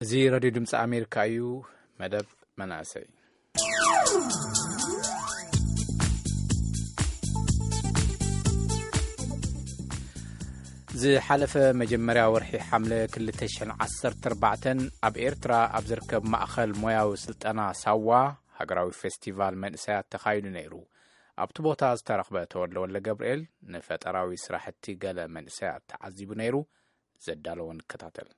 እዚ ሬድዮ ድምፂ ኣሜሪካ እዩ። መደብ መናእሰይ። ዝሓለፈ መጀመርያ ወርሒ ሓምለ ክልተ ሽሕን ዓሰርተ ኣርባዕተን ኣብ ኤርትራ ኣብ ዝርከብ ማእኸል ሞያዊ ስልጠና ሳዋ ሃገራዊ ፌስቲቫል መንእሰያት ተኻይዱ ነይሩ። ኣብቲ ቦታ ዝተረኽበ ተወልደ ወልደ ገብርኤል ንፈጠራዊ ስራሕቲ ገለ መንእሰያት ተዓዚቡ ነይሩ። ዘዳለዎ ንከታተል።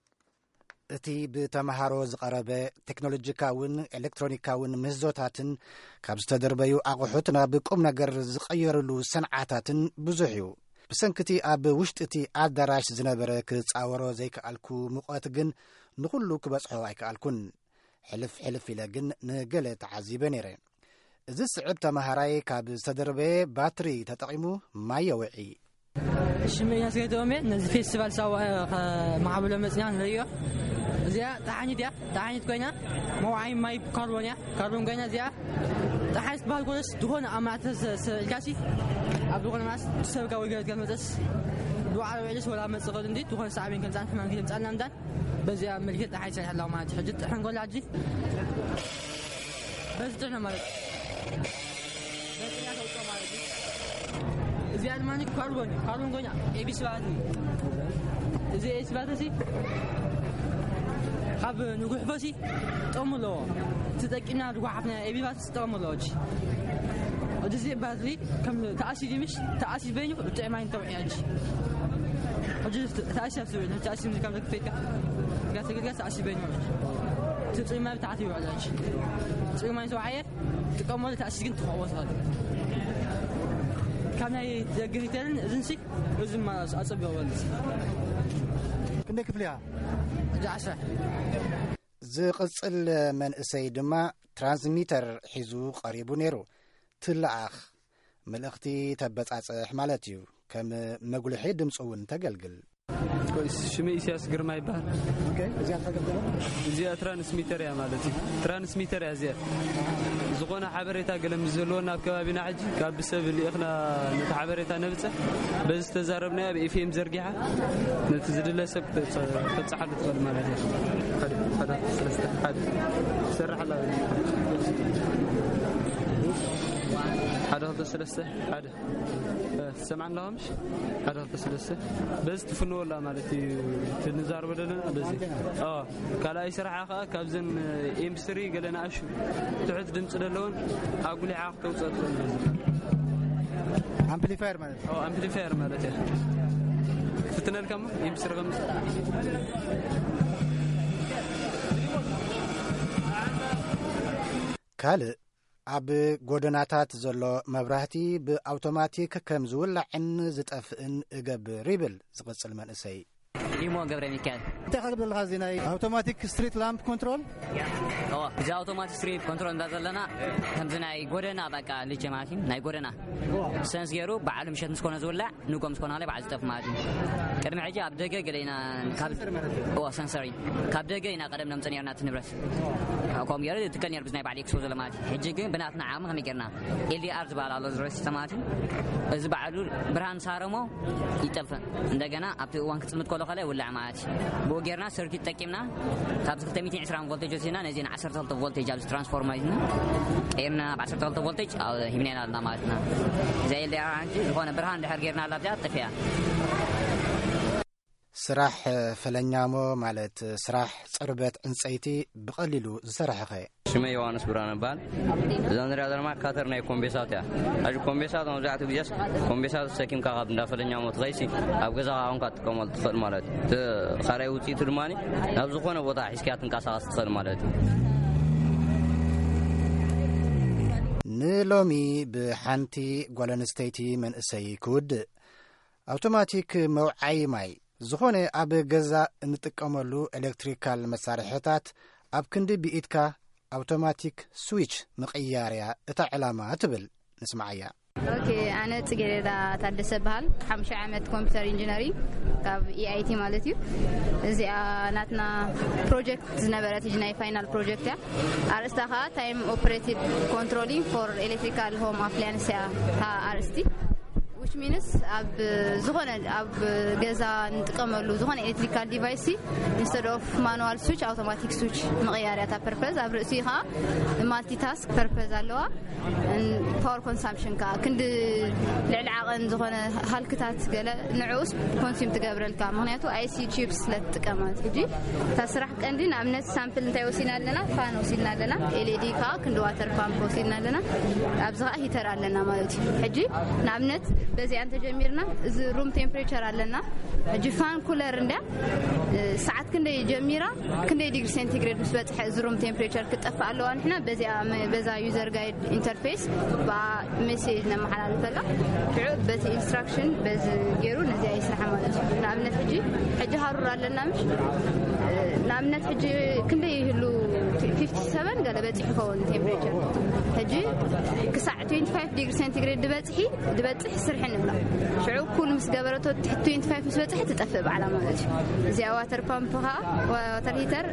እቲ ብተምሃሮ ዝቐረበ ቴክኖሎጂካውን ኤሌክትሮኒካውን ምህዞታትን ካብ ዝተደርበዩ ኣቑሑት ናብ ቁም ነገር ዝቐየርሉ ሰንዓታትን ብዙሕ እዩ። ብሰንኪቲ ኣብ ውሽጢ እቲ ኣዳራሽ ዝነበረ ክጻወሮ ዘይከኣልኩ ሙቐት ግን ንኹሉ ክበጽሖ ኣይከኣልኩን። ሕልፍ ሕልፍ ኢለ ግን ንገለ ተዓዚበ ነይረ። እዚ ስዕብ ተምሃራይ ካብ ዝተደርበየ ባትሪ ተጠቒሙ ማይ የውዒ። ሽመይ ያስገደውሜ ነዚ ፌስቲቫል ሳዋ ከማዕብሎ መጽና ንርእዮ። እዚኣ ጠሓኒት እያ። ጠሓኒት ኮይና መውዓይ ማይ ካርቦን እያ። ካርቦን ኮይና እዚኣ ጠሓኒት ትበሃል ኮለስ ዝኾነ ኣብ ማእተ ሰ-፣ ሰ-፣ ኢልካሲ ኣብ ዝኾነ ማስ ሰብ ካብ ወገን መጸስ ብባዕሉ ውዕልስ ወላ መጽእ ኸዱ እንዲ ዝኾነ ሳዕቤን ከምጻን ሕማም ከምጻና ምዳን በዚኣ መልክዕ ጠሓይ ይሰርሕ ኣለዋ ማለት እዩ። ሕጂ ጥሕን ጎላ ሕጂ በዚ ጥሕነ ማለት እዩ። በዚ ጥሕነ ተውፅኦ ማለት እዩ። እዚኣ ድማ ካርቦን፣ ካርቦን ኮይና ኤቢሲ ማለት እዩ። እዚ ኤቢሲ ማለት እዚ ካብ ንጉሕፎ ሲ ጥቕሚ ኣለዎ። ተጠቂምና ዝጓሓፍና ኤቢሲ ማለት ጥቕሚ ኣለዎ። ሕጂ እዚ ባትሪ ከም ተኣሲድ ምሽ ተኣሲድ በይኑ ጥዕማይ እንተውዕያ ሕጂ። ሕጂ ተኣሲድ ኣብ ስብዕል፣ ተኣሲድ ካብ ዘክፈይካ ጋር ተገልጋል ተኣሲድ በይኑ። እቲ ጽማይ ብታሕቲ ይውዕል ሕጂ። ጽማይ ተውዓየ ጥቀመሉ ተኣሲድ ግን ትኸዎ ትኸል። ካብ ናይ ደገ ሪተርን እዝንሲ እዝማ ኣጸቢቑ በልስ። ክንደይ ክፍሊ እያ? ሕጂ ዓሰርተ። ዝቕጽል መንእሰይ ድማ ትራንስሚተር ሒዙ ቀሪቡ ነይሩ። ትለኣኽ፣ መልእኽቲ ተበጻጽሕ ማለት እዩ። ከም መጉልሒ ድምፂ እውን ተገልግል። ሽመይ ኢሳያስ ግርማ ይበሃል። እዚኣ ትራንስሚተር እያ ማለት እዩ። ትራንስሚተር እያ እዚኣ። ዝኾነ ሓበሬታ ገለ ምስ ዘለዎ ናብ ከባቢና ሕጂ ካብ ሰብ ልኢኽና ነቲ ሓበሬታ ነብፅሕ። በዚ ዝተዛረብናዮ ኣብ ኤፍኤም ዘርጊሓ ነቲ ዝድለ ሰብ ተብፅሓሉ ትኽእል ማለት እዩ። ሓደ፣ ሓደ፣ ሰለስተ፣ ሓደ። ትሰርሕ ኣላ። ሓደ፣ ክልተ፣ ሰለስተ፣ ሓደ። እ፣ ትሰምዓና ኣለኻ ምሽ? ሓደ፣ ክልተ፣ ሰለስተ። በዚ ትፍንወላ ማለት እዩ። ትንዛረበ ዘለና በዚ። ኣዎ። ካልኣይ ስራሓ ከዓ ካብዘን ኤምስሪ ገለ ንኣሹ ትሑት ድምፂ ዘለውን ኣጉሊሓ ክተውፅኦ ትኽእል በዚ። ኣምፕሊፋየር ማለት? ኣዎ፣ ኣምፕሊፋየር ማለት እያ። ፍትነልካ እሞ ኤምስሪ ከም ካልእ ኣብ ጎደናታት ዘሎ መብራህቲ ብኣውቶማቲክ ከም ዝውላዕን ዝጠፍእን እገብር ይብል ዝቕጽል መንእሰይ። ኢሞ ገብረ ሚካኤል። እንታይ ካብ ዘለኻ እዚ ናይ ኣውቶማቲክ ስትሪት ላምፕ ኮንትሮል? ኦ፣ እዚ ኣውቶማቲክ ስትሪት ኮንትሮል እንዳ ዘለና ከምዚ ናይ ጎደና በቃ ልጀ ማለት እዩ፣ ናይ ጎደና ሰንስ ገይሩ በዓሉ ምሸት ምስ ኮነ ዝውላዕ ንጎም ዝኾነ ከላይ በዓል ዝጠፍ ማለት እዩ። ቅድሚ ሕጂ ኣብ ደገ ገለ ኢና ካብ፣ ኦ፣ ሰንሰር እዩ። ካብ ደገ ኢና ቀደም ነምጽእ ነርና እቲ ንብረት። ከምኡ ገይሩ ትከል ነር ብዝናይ በዓል ኤክስፖ ዘሎ ማለት እዩ። ሕጂ ግን ብናትና ዓቕሚ ከመይ ገርና ኤልዲኣር ዝበሃል ኣሎ ዝረስ ማለት እዩ። እዚ በዓሉ ብርሃን ሳረሞ ይጠፍእ። እንደገና ኣብቲ እዋን ክጽምት ከሎ ከላይ ውላዕ ማለት እዩ። ብኡ ገርና ሰርኪት ጠቂምና ካብዚ ክልተ ሚእትን ዕስራን ቮልቴጅ ወሲድና ነዚ ን ዓሰርተ ክልተ ቮልቴጅ ኣብዚ ትራንስፎርመር ቀይርና ናብ ዓሰርተ ክልተ ቮልቴጅ ኣብ ሂብናና ኣለና ማለት ኢና። እዚ ኤልዲኣር ሓንቲ ዝኾነ ብርሃን ድሕር ጌርና ኣላ ኣብዚኣ ጠፊኣ። ስራሕ ፈለኛሞ ማለት ስራሕ ጽርበት ዕንጸይቲ ብቐሊሉ ዝሰርሐኸ? ሽመ ዮሃንስ ብርሃን እበሃል። እዛ ንሪኣ ዘለና ካተር ናይ ኮምቤሳት እያ። ሕጂ ኮምቤሳት መብዛሕትኡ ግዜስ ኮምቤሳት ሰኪምካ ካብ እንዳ ፈለኛሞ ትኸይሲ ኣብ ገዛኻ ኮንካ ትጥቀመሉ ትኽእል ማለት እዩ። እቲ ካልኣይ ውፅኢቱ ድማ ናብ ዝኾነ ቦታ ሒዝካያ ትንቀሳቐስ ትኽእል ማለት እዩ። ንሎሚ ብሓንቲ ጓል ኣንስተይቲ መንእሰይ ክውድእ። ኣውቶማቲክ መውዓዪ ማይ፣ ዝኾነ ኣብ ገዛ እንጥቀመሉ ኤሌክትሪካል መሳርሕታት ኣብ ክንዲ ብኢድካ ኣውቶማቲክ ስዊች ምቕያርያ እታ ዕላማ ትብል። ንስምዓያ። ኦኬ፣ ኣነ ጽጌረዳ ታደሰ በሃል። ሓሙሽተ ዓመት ኮምፒውተር ኢንጂነሪንግ ካብ ኢኣይቲ ማለት እዩ። እዚኣ ናትና ፕሮጀክት ዝነበረት ሕጂ ናይ ፋይናል ፕሮጀክት እያ። ኣርእስታ ኸኣ ታይም ኦፕሬትድ ኮንትሮሊንግ ፎር ኤሌክትሪካል ሆም ኣፕላያንስ እያ እታ ኣርእስቲ። ሚንስ ኣብ ዝኾነ ኣብ ገዛ ንጥቀመሉ ዝኾነ ኤሌክትሪካል ዲቫይስ፣ ኢንስተድ ኦፍ ማኑዋል ስዊች ኣውቶማቲክ ስዊች ምቕያር እያ እታ ፐርፐዝ። ኣብ ርእሲ ከዓ ማልቲታስክ ፐርፐዝ ኣለዋ። ፓወር ኮንሳምፕሽን ከዓ ክንዲ ልዕሊ ዓቐን ዝኾነ ሃልክታት ገለ ንዕኡስ ኮንሱም ትገብረልካ፣ ምክንያቱ ኣይሲ ቺፕስ ስለ ትጥቀም ማለት። ሕጂ እታ ስራሕ ቀንዲ ንኣብነት ሳምፕል እንታይ ወሲና ኣለና? ፋን ወሲና ኣለና። ኤልኢዲ ከዓ ክንዲ ዋተር ፓምፕ ወሲና ኣለና። ኣብዚ ከዓ ሂተር ኣለና ማለት እዩ። ሕጂ ንኣብነት በዚኣ እንተጀሚርና፣ እዚ ሩም ቴምፕሬቸር ኣለና። ሕጂ ፋን ኩለር እንዳ ሰዓት ክንደይ ጀሚራ፣ ክንደይ ዲግሪ ሴንቲግሬድ ምስ በፅሐ እዚ ሩም ቴምፕሬቸር ክጠፍእ ኣለዋ። ንሕና በዚኣ መ- በዛ ዩዘር ጋይድ ኢንተርፌስ ብኣ ሜሴጅ ነመሓላልፈላ። ሽዑ በቲ ኢንስትራክሽን በዚ ገይሩ ነዚኣ ይስራሕ ማለት እዩ። ንኣብነት ሕጂ ሕጂ ሃሩር ኣለና ምሽ ንኣብነት ሕጂ ክንደይ ይህሉ? ፊፍቲ ሰቨን ገለ በፂሑ ይኸውን ቴምፕሬቸር። ሕጂ ክሳዕ ትዌንቲ ፋይቭ ዲግሪ ሴንቲግሬድ ዝበፅሒ ዝበፅሕ ስርሒ ንብላ። ሽዑ ኩል ምስ ገበረቶ ትሕቲ ትዌንቲ ፋይቭ ምስ በፅሐ ትጠፍእ ባዕላ ማለት እዩ። እዚኣ ዋተር ፓምፕ ከዓ ዋተር ሂተር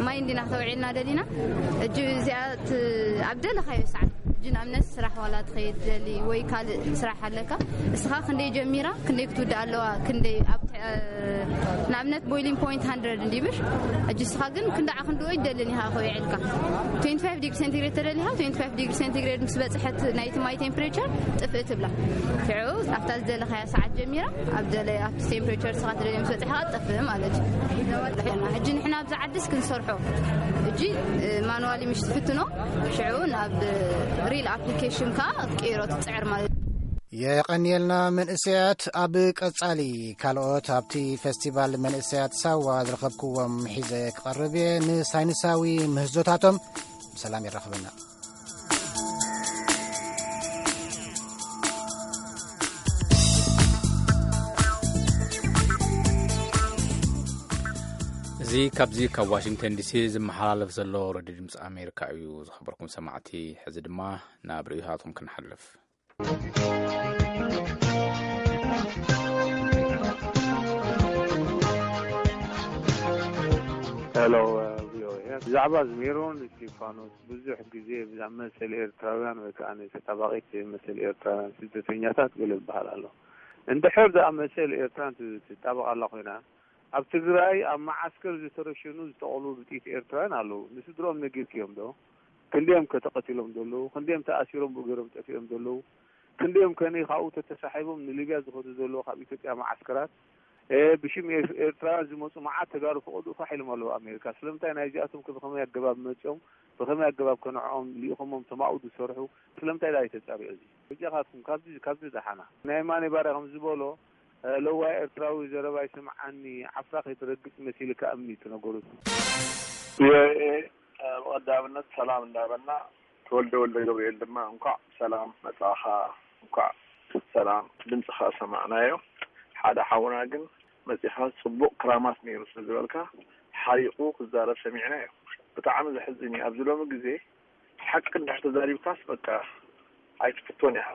ማይ እንዲና ክተውዒልና ደሊና። እጂ እዚኣ ት- ኣብ ደለኻዮ ሰዓት እጂ ንኣብነት ስራሕ ዋላ ትኸይድ ደሊ ወይ ካልእ ስራሕ ኣለካ፣ እስኻ ክንደይ ጀሚራ ክንደይ ክትውድእ ኣለዋ፣ ክንደይ ኣብ ንኣብነት ቦይሊንግ ፖይንት ሃንድረድ እንዲምሽ። እጂ እስኻ ግን ክንዳዓ ክንድኦ ይደልን ኢኻ ከውዕልካ። ትዌንቲ ፋይቭ ዲግሪ ሴንቲግሬድ ተደሊኻ፣ ትዌንቲ ፋይቭ ዲግሪ ሴንቲግሬድ ምስ በፅሐት ናይቲ ማይ ቴምፕሬቸር ጥፍእ ትብላ። ሽዑ ኣብታ ዝደለኻያ ሰዓት ጀሚራ ኣብ ደለ ኣብቲ ቴምፕሬቸር ስኻ ትደልዮ ምስ በፅሐ ጥፍእ ማለት እዩ። ሕጂ ንሕና ኣብዚ ዓድስ ክንሰርሖ፣ እጂ ማኑዋሊ ምሽ ትፍትኖ፣ ሽዑ ናብ ሪል ኣፕሊኬሽን ከዓ ክትቅይሮ ትፅዕር ማለት እዩ። የቐንየልና መንእሰያት። ኣብ ቀጻሊ ካልኦት ኣብቲ ፈስቲቫል መንእሰያት ሳዋ ዝረኸብክዎም ሒዘ ክቐርብ እየ። ንሳይንሳዊ ምህዞታቶም ብሰላም የራኽበና። እዚ ካብዚ ካብ ዋሽንግተን ዲሲ ዝመሓላለፍ ዘሎ ሬድዮ ድምፂ ኣሜሪካ እዩ። ዝኸበርኩም ሰማዕቲ፣ ሕዚ ድማ ናብ ርእይቶታትኩም ክንሓልፍ። ሄሎ፣ ቪኦኤ። ብዛዕባ እዚ ሜሮን እስቲፋኖስ ብዙሕ ግዜ ብዛዕባ መሰል ኤርትራውያን ወይ ከዓ ንተጣባቒት መሰል ኤርትራውያን ስደተኛታት ገለ ዝበሃል ኣሎ። እንድሕር ደኣ መሰል ኤርትራን ት- ትጣበቕ ኣላ ኮይና፣ ኣብ ትግራይ ኣብ መዓስከር ዝተረሸኑ ዝተቐሉ ብጥይት ኤርትራውያን ኣለዉ። ንስድሮኦም ነጊርክዮም ዶ? ክንደዮም ከ ተቐቲሎም ዘለዉ? ክንደዮም ተኣሲሮም ብእገሮም ጠፊኦም ዘለዉ? ክንደዮም ከ ካብኡ ተተሳሒቦም ንሊብያ ዝኸዱ ዘለዉ ካብ ኢትዮጵያ መዓስከራት? እ፣ ብሽም ኤር- ኤርትራውያን ዝመፁ መዓት ተጋሩ ፈቐድኡ ፋሕ ኢሎም ኣለዉ ኣሜሪካ። ስለምንታይ ናይዚኣቶም ከ ብኸመይ ኣገባብ መፂኦም? ብኸመይ ኣገባብ ከ ንዕኦም ልኢኾሞም ተማኡ ዝሰርሑ? ስለምንታይ ዳ ኣይተፃርዮ እዚ? በጃኻትኩም ካብዚ ካብዚ ዳሓና። ናይ ማኔ ባርያ ከም ዝበሎ፣ እ፣ ለዋይ ኤርትራዊ ዘረባ ይስምዓኒ፣ ዓፍራ ከይትረግጽ መሲልካ እምኒ እቲ ነገሩ። ቪኦኤ፣ እ፣ ብቐዳምነት ሰላም እንዳበልና፣ ተወልደ ወልደ ገብርኤል ድማ እንኳዕ ሰላም መጻኻ፣ እንኳዕ ሰላም ድምጽኻ ሰማዕናዮ። ሓደ ሓውና ግን መጺኻ ጽቡቕ ክራማት ነይሩ ስለ ዝበልካ ሓሪቑ ክዛረብ ሰሚዕናዮ። ብጣዕሚ ዘሕዝን እዩ። ኣብዚ ሎሚ ግዜ ሓቂ እንድሕር ተዛሪብካስ በቃ ኣይትፍቶን ኢኻ።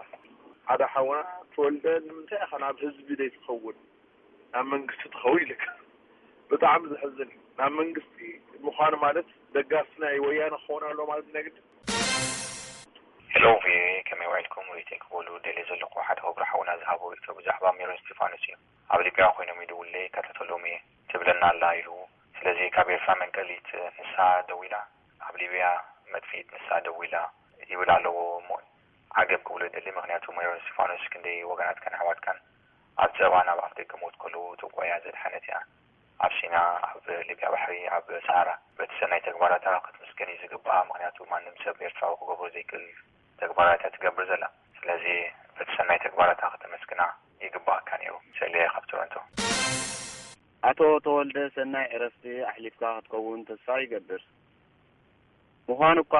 ሓደ ሓውና ተወልደ ንምንታይ ኢኻ ናብ ህዝቢ ዘይትኸውን ናብ መንግስቲ ትኸውን ኢልካ። ብጣዕሚ ዘሕዝን እዩ። ናብ መንግስቲ ምዃን ማለት ደጋፊ ናይ ወያነ ክኸውን ኣለዎ ማለት ናይ ግድን። ሄሎ ቪኦኤ፣ ከመይ ውዒልኩም? ሪኢቶይ ክበሉ ደልየ ዘለኹ ሓደ ክቡር ሓውና ዝሃቦ ርእይቶ ብዛዕባ ሜሮን እስቲፋኖስ እዩ። ኣብ ሊብያ ኮይኖም ይድውሉለይ ይከታተሎም እየ ትብለና ኣላ ኢሉ። ስለዚ ካብ ኤርትራ መንቀሊት ንሳ ደዊላ፣ ኣብ ሊብያ መጥፍኢት ንሳ ደዊላ ይብል ኣለዎ እሞ ዓገብ ክብሎ ይደሊ። ምክንያቱ ሜሮን እስቲፋኖስ ክንደይ ወገናትካን ኣሕዋትካን ኣብ ጸባ ናብ ኣፍ ደገ ሞት ከለዉ ተጓያ ዘድሓነት እያ። ኣብ ሲና፣ ኣብ ሊብያ ባሕሪ፣ ኣብ ሰሃራ በቲ ሰናይ ተግባራታ ክትምስገን እዩ ዝግባኣ። ምክንያቱ ማንም ሰብ ኤርትራዊ ክገብሮ ዘይክእል ተግባራት እያ ትገብር ዘላ። ስለዚ በቲ ሰናይ ተግባራታ ክተመስግና ይግባኣካ ነይሩ። ሰሌ ካብ ቶሮንቶ። ኣቶ ተወልደ ሰናይ ዕረፍቲ ኣሕሊፍካ ክትከውን ተስፋ ይገብር። ምዃኑ እኳ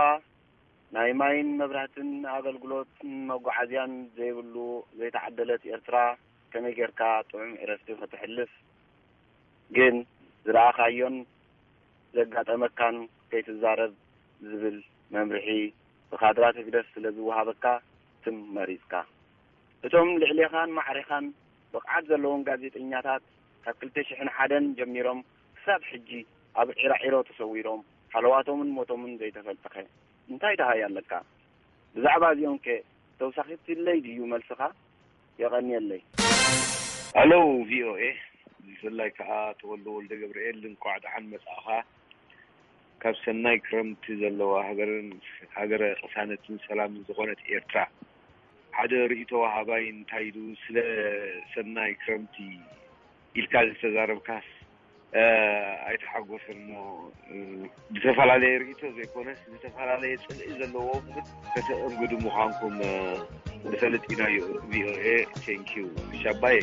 ናይ ማይን መብራህትን ኣገልግሎትን መጓዓዝያን ዘይብሉ ዘይተዓደለት ኤርትራ ከመይ ጌርካ ጥዑም ዕረፍቲ ከተሕልፍ ግን ዝረኣኻዮን ዘጋጠመካን ከይትዛረብ ዝብል መምርሒ ብካድራት ህግደፍ ስለ ዝወሃበካ ትም መሪጽካ። እቶም ልዕሌኻን ማዕሬኻን ብቕዓት ዘለዎም ጋዜጠኛታት ካብ ክልተ ሽሕን ሓደን ጀሚሮም ክሳብ ሕጂ ኣብ ዒራዒሮ ተሰዊሮም ሃለዋቶምን ሞቶምን ዘይተፈልጠኸ እንታይ ደሃይ ኣለካ? ብዛዕባ እዚኦምከ ተውሳኺትለይ ድዩ መልስኻ? የቐንየለይ። ሄሎ፣ ቪኦኤ፣ ብፍላይ ከዓ ተወልደ ወልደ ገብርኤል፣ እንኳዕ ደሓን መጻእኻ። ካብ ሰናይ ክረምቲ ዘለዋ ሃገርን፣ ሃገረ ቅሳነትን ሰላምን ዝኾነት ኤርትራ ሓደ ርእይቶ ወሃባይ እንታይ ኢሉ፣ ስለ ሰናይ ክረምቲ ኢልካ ዝተዛረብካስ፣ እ፣ ኣይተሓጎሰን እሞ፣ እ፣ ዝተፈላለየ ርእይቶ ዘይኮነስ ዝተፈላለየ ጽልኢ ዘለዎም ግን ከተእንግዱ ምዃንኩም፣ እ፣ ንፈልጥ ኢና። ቪኦኤ፣ ቴንኪዩ። ሻባየ።